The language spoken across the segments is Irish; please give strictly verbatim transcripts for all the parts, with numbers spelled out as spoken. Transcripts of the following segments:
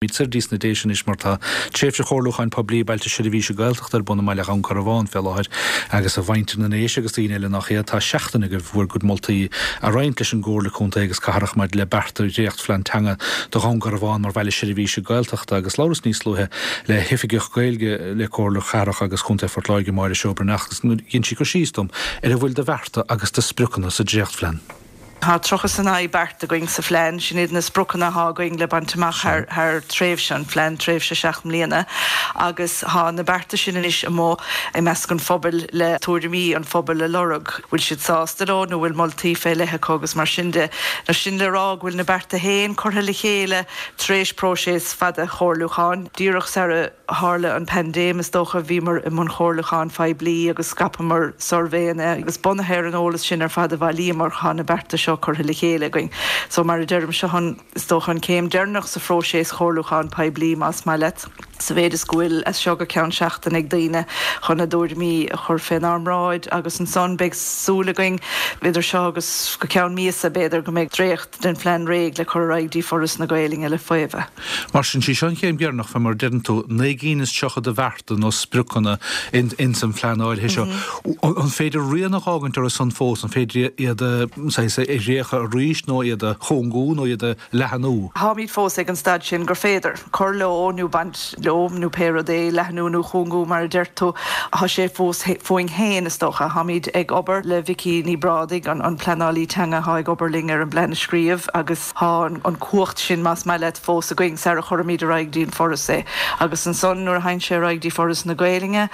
Bíd soir dtí sna Déise anois mar tá tréimhse chomhairliúcháin poiblí Bailte Seirbhíse Gaeltachta ar bun i mbaile Dhún Garbhán fé láthair agus a mhuintir na nDéise agus daoine eile nach iad tá seachtain agaibh bhur gcuid moltaí a roinnt leis an gComhairle Contae agus Cathrach maidir le bearta dréachtphlean teanga do Dhún Garbhán mar bhaile seirbhíse Gaeltachta agus labhras níos luaithe le hoifigeach Gaeilge le Comhairle Cathrach agus Contae Phort Láirge Máire Seoibreach agus dhein sí cur síos dom ar a bhfuil de bhearta agus de spriocanna sa dréachtphlean. Tá tríocha is a naoi beart againn sa phlean, sin iad na spriocanna atá againn le baint amach thar thar tréimhse an phlean tréimhse seacht mbliana agus tá na bearta sin anois amuigh i measc an phobail le tuairimí an phobail a lorg. Bhfuil siad sásta leo nó bhfuil moltaí fé leith acu agus mar sin de. Nó sin le rá go bhfuil na bearta féin curtha le chéile tar éis próiseas fada comhairliúcháin. Díreach sar tharla an paindéim is dócha bhíomar i mbun chomhairliúcháin phoiblí agus scaipeamar suirbhéanna agus bunaithe ar an eolas sin ar fad a bhailíomar tá na bearta seo curtha le chéile againn. So mar a deirim seo an is dócha an céim deireanach sa phróiseas comhairliúcháin poiblí más maith leat. Sa mhéid is go bhfuil as seo go ceann seachtain ag daoine chun a dtuairimí a chur fénar mbráid agus ansan beidh súil againn idir seo agus go ceann míosa b'fhéidir go mbeidh dréacht den phlean réidh le cur ar aghaidh dtí Foras na Gaeilge le faomhadh. Mar sin sí seo an chéim dheireanach fé mar deireann tú naoi gcinn is tríocha de bhearta nó spriocanna in, in san phlean áirithe seo. An féidir rian a fhágaint orthu san fós an féidir iad a récha arís nó iad a chúngú nó iad a leathnú. Táimid fós ag an staid sin gur féidir cur leo nó baint leo nó pé rud é leathnú nó cúngú mar a deir tú tá sé fós fúinn féin is dócha táimid ag obair le Vicky Ní Bhrádaigh an, an pleanálaí teanga atá ag obair linn ar an bplean a scríobh agus tá an, an cumhacht sin más maith leat fós againn sar a chuirimid ar aghaidh dtí an Foras é. Agus ansan nuair a théann sé ar aghaidh dtí Foras na Gaeilge,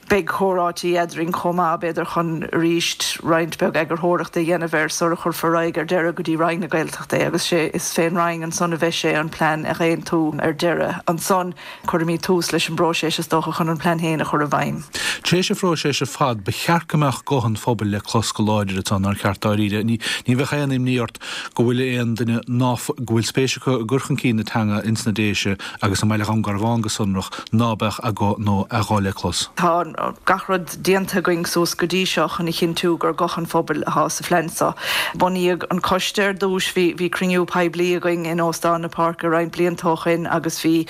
beidh comhráití eadrainn chomh maith b'fhéidir chun arís roinnt beag eagarthóireachta a dhéanamh air sar a chuirfear ar aghaidh ar deireadh go dtí Roinn na Gaeltachta é agus sé is fén Roinn ansan a bheidh sé an plean a aontú ar deireadh. Ansan cuirfimid tús leis an bpróiseas is dócha chun an plean féin a chur i bhfeidhm. Tar éis an phróisis ar fad ba cheart go mbeadh guth an phobail le clos go láidir atá nár cheart dáiríre. Ní ní bheadh aon imní ort go bhfuil aon duine ná go bhfuil spéis acu i gcur chun cinn na teanga ins na Déise agus i mbaile Dhún Garbhán go sonrach ná beadh a guth nó a ghuth le clos. Tá gach rud déanta againn suas go dtí seo chun a chinntiú gur guth an phobail atá sa phlean seo. Bunaíodh an coiste ar dtús bhí bhí cruinniú poiblí againn in Óstán na Páirce roinnt blianta ó shin agus bhí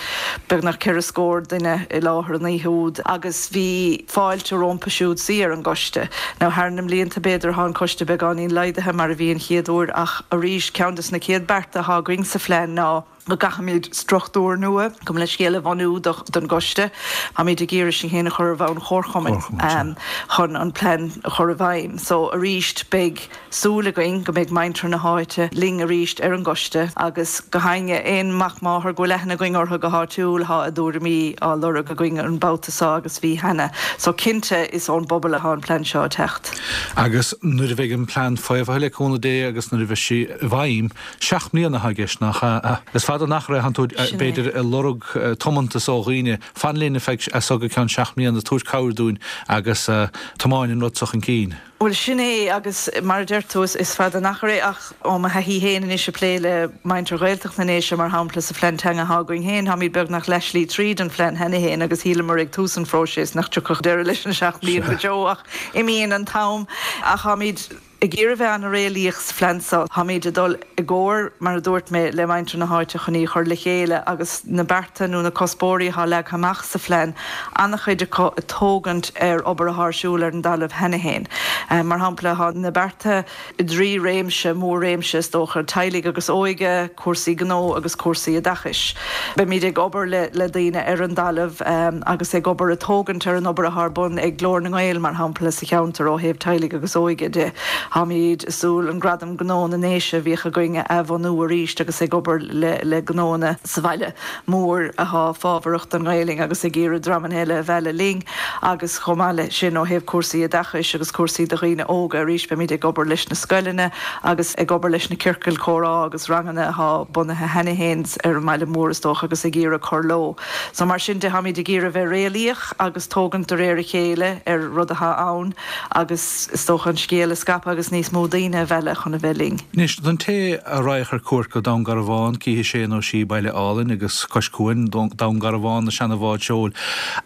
beagnach ceithre scór duine i láthair an oíche úd agus bhí fáilte rompu siúd suí ar an gcoiste. Now thar na mblianta b'fhéidir tá an coiste beagáinín laghdaithe mar a bhí an chéad uair ach arís ceann des na chéad bearta atá againn sa phlean ná go gcaithfimid struchtúr nua gabh mo leithscéal a bhunú don gcoiste Táimid ag iarraidh sin féin a chur ar bhonn chomharchumainn um, chun an plean a chur i bhfeidhm. So arís beidh súil againn go mbeidh muintir na háite linn arís ar an gcoiste agus go háirithe aon mac máthar go bhfuil aithne againn orthu go háitiúil tá a dtuairimí á lorg againn an babhta seo agus bhí cheana. So cinnte is ón bpobal atá an plean seo teacht. Agus nuair a bheidh an plean faomhaithe le cúnamh Dé agus nuair a bheidh sí i bhfeidhm seacht mbliana atá i gceist nach is fada an achar é tú b'fhéidir ag lorg tiomantas ó dhaoine fan linn ar feadh as go ceann seacht mbliana tabhair cabhair dúinn agus tiomáin an rud seo chun cinn. Well sin é agus mar a deir tú is fada an achar é ach ó mo thaithí féin anois ag plé le muintir Ghaeltacht na nDéise mar shampla sa phlean teanga atá againn féin táimid beagnach leathshlí tríd an phlean cheana féin agus shíleamar ag tús an phróisis nach dtiocfadh deireadh leis an seacht mbliana go deo ach imíonn an t-am ach táimid ag iarraidh bheith an-réalaíoch sa phlean seo táimid ag dul i gcomhar mar a dúirt mé le muintir na háite chun í chur le chéile agus na bearta nó na cuspóirí atá leagtha amach sa phlean an-chuid acu ag tógaint ar obair atá ar siúl ar an dtalamh cheana féin. Mar shampla tá na bearta i dtrí réimse mór-réimse is dócha teaghlaigh agus óige, cúrsaí gnó agus cúrsaí oideachais. Beimid ag obair le, le daoine ar an dtalamh um, agus ag obair ag tógaint ar an obair atá ar bun ag Glór na nGael mar shampla sa cheantar ó thaobh teaghlaigh agus óige de. Táimid ag súil an gradam gnó na nDéise a bhíodh againn a bhunú arís agus ag obair le, le gnónna sa bhaile mór atá fábharach don Ghaeilge agus ag iarraidh dreamanna eile a mhealladh linn agus chomh maith le sin ó thaobh cúrsaí oideachais agus cúrsaí do dhaoine óga arís beimid ag obair leis na scoileanna agus ag obair leis na ciorcail chomhrá agus ranganna atá bunaithe cheana féin ar an mbaile mór is dócha agus ag iarraidh cur leo. So mar sin de táimid ag iarraidh bheith réalaíoch agus tógaint de réir a chéile ar rud atá ann agus is dócha an scéal a scaipeadh agus níos mó daoine a mhealladh chun a bheith linn. Anois don té a raghadh ar cuairt go Dún Garbhán cífidh sé nó sí baile álainn agus cois cuain Dún Garbhán na seana-bháid seoil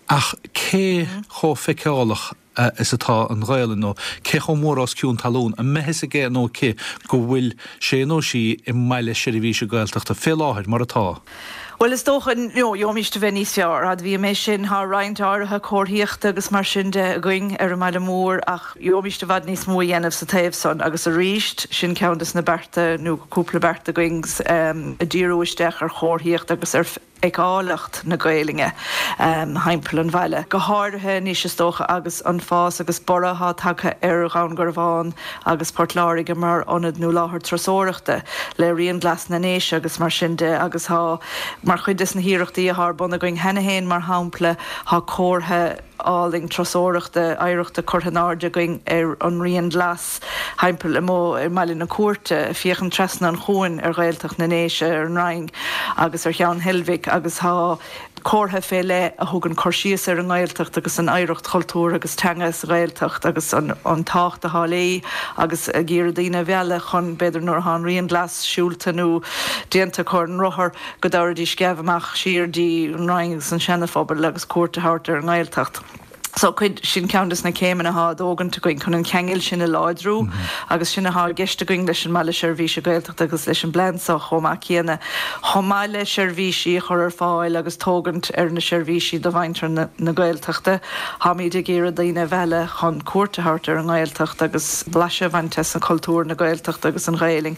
ach cé chomh feiceálach is atá an Ghaelainn nó cé chomh mór os cionn talún an mbeidh a fhios aige nó aici go bhfuil sé nó sí i mbaile seirbhíse Gaeltachta fé láthair mar atá. Well is dócha no gheobhaimis a bheith níos fearr admhaím é sin tá roinnt áirithe comharthaíochta agus mar sin de againn ar an mbaile mór ach gheobhaimis i bhfad níos mó a dhéanamh sa taobh san agus arís sin ceann des na bearta nó cúpla beart againn um, a díriú isteach ar chomharthaíocht agus ar fheiceálacht na Gaeilge um, thimpeall an bhaile. Go háirithe anois is dócha agus an fás agus borradh atá tagtha ar Dhún Garbhán agus Port Láirge mar ionad nó láthair turasóireachta le Rian Glas na nDéise agus mar sin de agus tá mar chuid des na hiarrachtaí atá ar bun againn cheana féin mar shampla tá comhartha álainn turasóireachta oidhreachta curtha in airde againn ar an Rian Glas thimpeall amuigh ar mBaile na Cúirte féachann trasna an chuain ar Ghaeltacht na nDéise ar an Rinn agus ar Cheann Heilbhic agus tá comhartha fé leith a thugann cur síos ar an nGaeltacht agus an oidhreacht chultúr agus teanga sa Ghaeltacht agus an, an tábhacht atá léi agus ag iarraidh daoine a mhealladh chun b'fhéidir nuair atá an Rian Glas siúlta nó déanta acu ar an rothar go dtabharfaidís sceamh amach siar dtí an Rinn agus an Seanaphobal agus cuairt a thabhairt ar an nGaeltacht. So cuid sin ceann des na céimeanna atá á dtógaint againn chun an ceangal sin a láidriú agus sin atá i gceist againn leis an mBaile Seirbhíse Gaeltachta agus leis an bplean seo chomh maith céanna. Chomh maith le seirbhísí a chur ar fáil agus tógaint ar na seirbhísí do mhuintir na, na Gaeltachta, Táimid ag iarraidh daoine a mhealladh chun cuairt a thabhairt ar an nGaeltacht agus blaiseadh a bhaint as an chultúr na Gaeltachta agus an Ghaeilge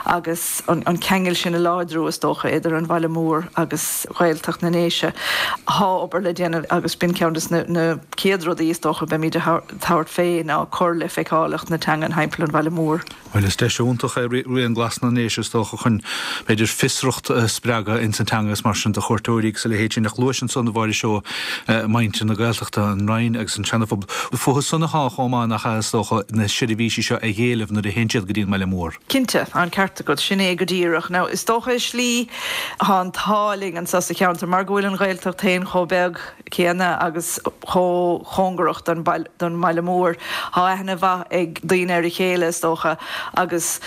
agus an, an ceangal sin a láidriú is dócha idir an bhaile mór agus Ghaeltacht na nDéise. Tá obair le déanamh agus b'in ceann des na, na chéad rudaí is dócha beimid ag tabhairt fé ná cur le feiceálacht na teanga thimpeall an bhaile mór. Well is deis iontach é Rian Glas na nDéise is dócha chun b'fhéidir fiosracht a spreagadh ins an teanga is mar sin do chuairteoirí agus a leithéid sin ach luaigh ansan a Mháire Seó muintir na Gaeltachta an Rinn agus an Seanaphobal. Fúthu san atá chomh maith nach is dócha na seirbhísí seo a éileamh nuair a théann siad go dtí an mbaile mór. Cinnte an ceart agat sin é go díreach. Now is dócha i slí tá an t-ádh linn anseo sa cheantar mar go bhfuil an Ghaeltacht féin chomh beag céanna agus chomh cóngarach don don mbaile mór. Tá aithne mhaith ag daoine ar a chéile is dócha agus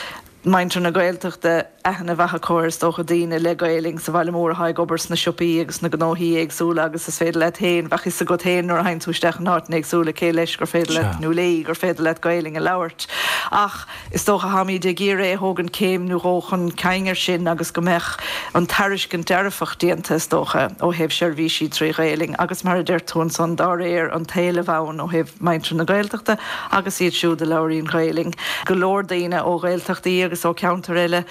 muintir na Gaeltachta aithne mhaith acu is dócha daoine le Gaeilge sa bhaile mór atá ag obair sna siopaí agus na gnóthaí éagsúla agus is féidir leat féin bheadh a fhios agat féin nuair a théann tú isteach in áit éagsúla cé leis gur féidir leat nó léi gur féidir leat Gaeilge a labhairt. Ach is dócha táimid ag iarraidh a thógaint céim nó dhó chun cinn ar sin agus go mbeadh an tairiscint dearfach déanta is dócha ó thaobh seirbhísí trí Ghaeilge agus mar a deir tú ansan dá réir an t-éileamh ann ó thaobh muintir na Gaeltachta agus iad siúd a labhraíonn Gaeilge. Go leor daoine ó Ghaeltachtaí agus ó cheantar eile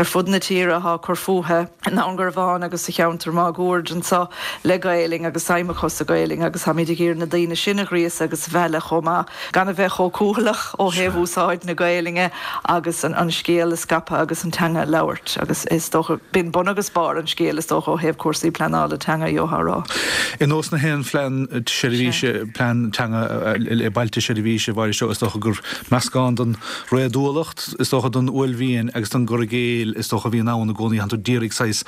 ar fud na tíre atá ag cur fúthu i nDún Garbhán agus sa cheantar máguaird anseo le Gaeilge agus feidhm acu sa Ghaeilge agus táimid ag iarraidh na daoine sin a ghríosadh agus a mhealladh chomh maith gan a bheith chomh cúthaileach ó thaobh úsáid na Gaeilge agus an, an scéal a scaipeadh agus an teanga a labhairt agus is dócha b'in bun agus barr an scéil is dócha ó thaobh cúrsaí pleanála teanga gheofá. Ar nós na haon phlean seirbhíse plean teanga le bailte seirbhíse bhair seo is dócha gur meascán den réadúlacht is dócha den uaillmhian agus den gcur i gcéill is dócha bhíonn ann i gcónaí tá tú d'iarraidh saghas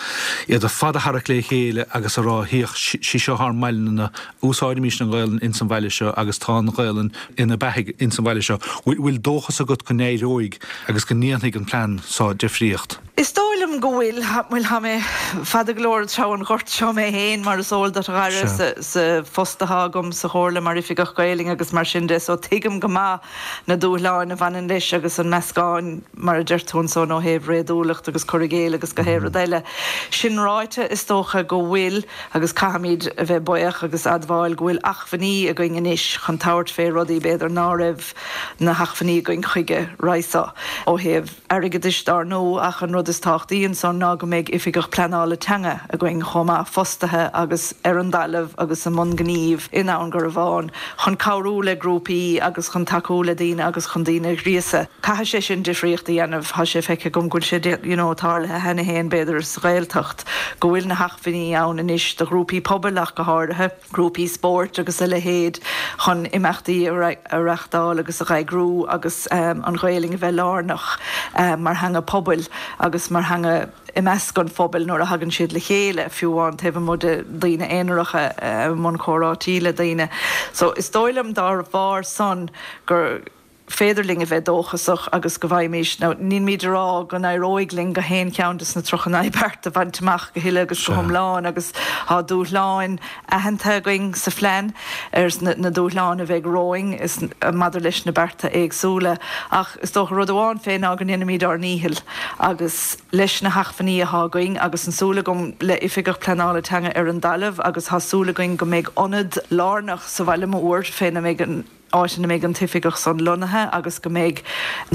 iad ar fad a tharrac le chéile agus a rá féach sí seo ár mbaile úsáidimis an Ghaelainn ins an bhaile seo agus tá an Ghaelainn ina beathaidh ins an bhaile seo. Bhfuil dóchas agat go n-éireoidh agus go ndéanfaidh an plean seo difríocht. Is dóigh liom go bhfuil bhfuil tá mé fada go leor tríd an ghort seo mé féin mar is eol duit a Dhara sa, sa phost atá agam sa Chomhairle mar oifigeach Gaeilge agus mar sin de so tuigim go maith na dúshláin a bhaineann leis agus an meascán mar a deir tú ansan ó thaobh réadúlacht agus cur i gcéill agus gach aon rud eile. Sin ráite is dócha go bhfuil agus caithfimid a bheith buíoch agus admháil go bhfuil acmhainní againn anois chun tabhairt fé rudaí b'fhéidir ná raibh na hacmhainní againn chuige roimhe seo ó thaobh airgeadais dar ndóigh ach an rud is tábhachtaí ansan ná go mbeidh oifigeach pleanála teanga againn chomh maith fostaithe agus ar an dtalamh agus i mbun gnímh i nDún Garbhán chun cabhrú le grúpaí agus chun tacú le daoine agus chun daoine a ghríosadh. Caithfidh sé sin difríocht a dhéanamh tá sé feicthe agam go bhfuil sé you know, tarlaithe cheana féin b'fhéidir sa Ghaeltacht, go bhfuil na hacmhainní ann anois do ghrúpaí pobail ach go háirithe, grúpaí spóirt agus a leithéid chun imeachtaí a reáchtáil agus a eagrú agus um, an Ghaeilge a bheith lárnach um, mar theanga pobail agus mar theanga i measc an phobail nuair a thagann siad le chéile fiú amháin taobh amuigh de daoine aonaracha i mbun comhráití le daoine. So is dóigh liom dá bharr san gur féidir linn a bheith dóchasach agus go bhfaighimís, now nílmid a rá go n-éireoidh linn gach aon cheann des na tríocha naoi beart a bhaint amach go huile agus go hiomlán agus tá dúshláin aitheanta againn sa phlean ar na dúshláin a bheidh romhainn is maidir leis na bearta éagsúla ach is dócha rud amháin fé ná go ndéanfaimid ár ndícheall agus leis na hacmhainní atá againn agus an súil agam le oifigeach pleanála teanga ar an dtalamh agus tá súil againn go mbeidh ionad lárnach sa bhaile mór féna mbeidh an áit ina mbeidh an t-oifigeach san lonnaithe agus go mbeidh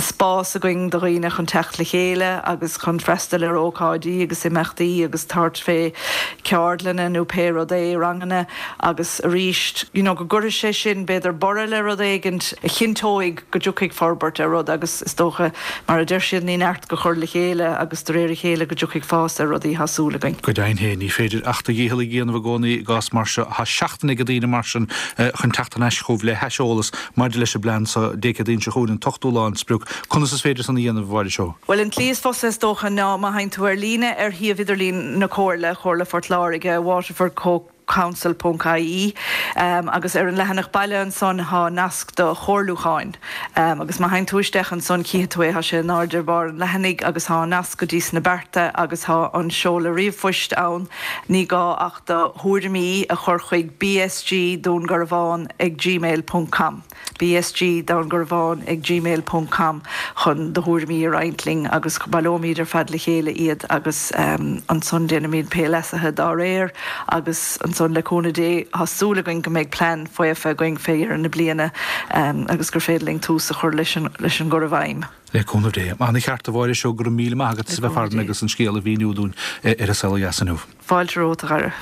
spás againn do dhaoine chun teacht le chéile agus chun freastal ar ócáidí agus imeachtaí agus tabhairt fé ceardlanna nó pé rud é, ranganna agus arís you know go gcuirfidh sé sin b'fhéidir borradh le rud éigint a chinnteoidh go dtiocfaidh forbairt ar rud agus is dócha mar a deir siad ní neart go chur le chéile agus de réir a chéile go dtiocfaidh fás ar rudaí tá súil againn. Go deimhin féin, ní féidir ach do dhícheall a dhéanamh i gcónaí i gcás mar seo. Tá seachtain ag daoine mar sin chun teacht thar n-ais chugaibh le haiseolas maidir leis an bplean so Dé Céadaoin seo chugainn, an t-ochtú lá an sprioc. Conas is féidir san a dhéanamh, a Mháire Seoighe? Bhuel, an tslí is fusa is dócha ná má théann tú ar líne ar shuíomh idirlín na Comhairle, Comhairle Phort Láirge, Waterford Co. Council ponc ie, agus ar an leathanach baile ansan thá nasc do chomhairliúcháin agus má théann tú isteach ansan chífidh tú é, thá sé in airde ar barr an leathanaigh agus thá an nasc go dtí sna bearta agus thá an seoladh ríomhphoist ann. Ní gá ach do thuairimí a chur chuig bsg Dún Garbhán ag gmail ponc com, bsg Dún Garbhán ag gmail ponc com chun do thuairimí a roinnt linn agus baileoimid ar fad le chéile iad agus ansan déanfaimid pé leasuithe dá réir agus ansan le cúnamh Dé tá súil againn go mbeidh plean faofa againn fé dheireadh na bliana agus gur féidir linn tús a chur leis an gcur i bhfeidhm. Le cúnamh Dé. Ana-cheart a Mháire Seoighe, go raibh míle maith agat as a bheith farainn agus an scéal a mhíniú dúinn ar An Saol Ó Dheas inniu. Fáilte romhat, a Dhara.